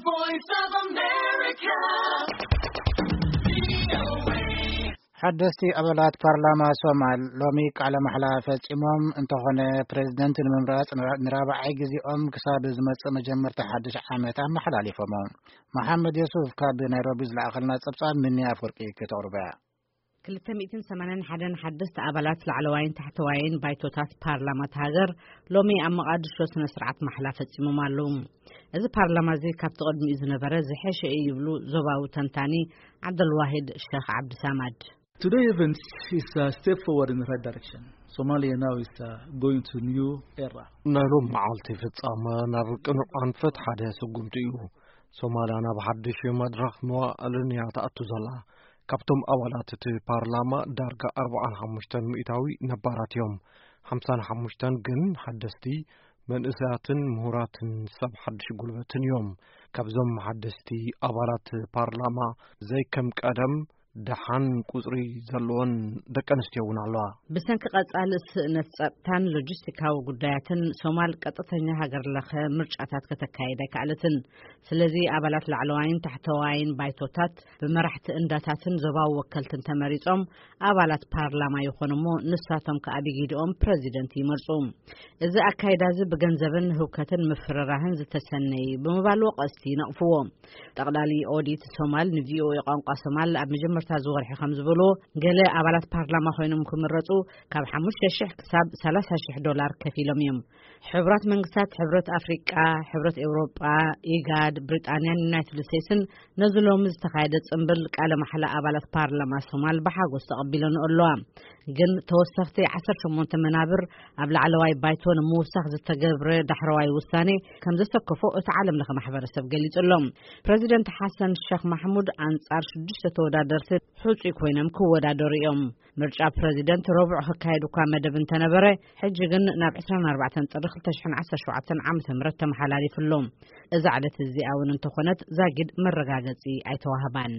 Voice of America. ሓደስቲ ኣባላት ፓርላማ ሶማል ሎሚ ቃለ ማሕላ ፈጺሞም። እንተኾነ፣ ፕሬዝደንት ንምምራጽ ንራ-፣ ንራብዓይ ግዜኦም ክሳብ ዝመጽእ መጀመርታ ሓድሽ ዓመት ኣመሓላሊፎሞ። መሓመድ የሱፍ ካብ ናይሮቢ ዝለኣኸልና ጸብጻብ፣ ምኒ ኣፍወርቂ ከተቕርበያ። ክልተ ሚእትን ሰማንያን ሓደን ሓደስቲ ኣባላት ላዕለዋይን ታሕተዋይን ባይቶታት ፓርላማ እታ ሃገር ሎሚ ኣብ መቓድሾ ስነ ስርዓት ማሕላ ፈጺሞም ኣለዉ። እዚ ፓርላማ እዚ ካብቲ ቅድሚኡ ዝነበረ ዝሐሸ እዩ ይብሉ ዞባዊ ተንታኒ ዓብደልዋሂድ ሸኽ ዓብድሳማድ። Today events is a step forward in the right direction. Somalia now is, uh, going to new era. ናይ ሎም መዓልቲ ፍጻመ ናብ ቅኑዕ ኣንፈት ሓደ ስጉምቲ እዩ። ሶማልያ ናብ ሓድሽ መድረኽ መዋእልን እያ ትኣቱ ዘላ። ካብቶም ኣባላት እቲ ፓርላማ ዳርጋ ኣርብዓን ሓሙሽተን ሚእታዊ ነባራት እዮም። ሓምሳን ሓሙሽተን ግን ሓደስቲ መንእሰያትን ምሁራትን ሰብ ሓድሽ ጉልበትን እዮም። ካብዞም ሓደስቲ ኣባላት ፓርላማ ዘይከም ቀደም ደሓን ቁጽሪ ዘለወን ደቂ ኣንስትዮ እውን ኣለዋ። ብሰንኪ ቀጻሊ ስእነት ጸጥታን ሎጂስቲካዊ ጉዳያትን፣ ሶማል ቀጥተኛ ሃገር ለኸ ምርጫታት ከተካይድ ኣይከኣለትን። ስለዚ ኣባላት ላዕለዋይን ታሕተዋይን ባይቶታት ብመራሕቲ እንዳታትን ዞባዊ ወከልትን ተመሪጾም ኣባላት ፓርላማ ይኾኑ እሞ፣ ንሳቶም ከኣ ብጊድኦም ፕረዚደንት ይመርጹ። እዚ ኣካይዳ እዚ ብገንዘብን ህውከትን ምፍርራህን ዝተሰነየ እዩ ብምባል ወቐስቲ ይነቕፍዎ። ጠቕላሊ ኦዲት ሶማል ንቪኦኤ ቋንቋ ሶማል ኣብ መጀመርታ እዚ ወርሒ ከም ዝበልዎ፣ ገለ ኣባላት ፓርላማ ኮይኖም ክምረጹ ካብ ሓሙሽተ ሽሕ ክሳብ ሰላሳ ሽሕ ዶላር ከፊሎም እዮም። ሕቡራት መንግስታት፣ ሕብረት ኣፍሪቃ፣ ሕብረት ኤውሮጳ፣ ኢጋድ፣ ብሪጣንያን ዩናይትድ ስቴትስን ነዚ ሎሚ ዝተኻየደ ጽምብል ቃለ ማሕላ ኣባላት ፓርላማ ሶማል ብሓጎስ ተቐቢለንኦ ኣለዋ። ግን ተወሰኽቲ ዓሰርተ ሸሞንተ መናብር ኣብ ላዕለዋይ ባይቶ ንምውሳኽ ዝተገብረ ዳሕረዋይ ውሳኔ ከም ዘሰከፎ እቲ ዓለም ለኸ ማሕበረሰብ ገሊጹ ኣሎ። ፕረዚደንት ሓሰን ሸኽ ማሕሙድ ኣንጻር ሽዱሽተ ተወዳደርቲ ሕጹይ ኮይኖም ክወዳደሩ እዮም። ምርጫ ፕረዚደንት ረቡዕ ክካየድ እኳ መደብ እንተነበረ፣ ሕጂ ግን ናብ ዕስራን ኣርባዕተን ጥሪ ክልተ ሽሕን ዓሰርተ ሸውዓተን ዓመተ ምህረት ተመሓላሊፉ ኣሎ። እዛ ዕለት እዚኣ እውን እንተኾነት ዛጊድ መረጋገጺ ኣይተዋህባን።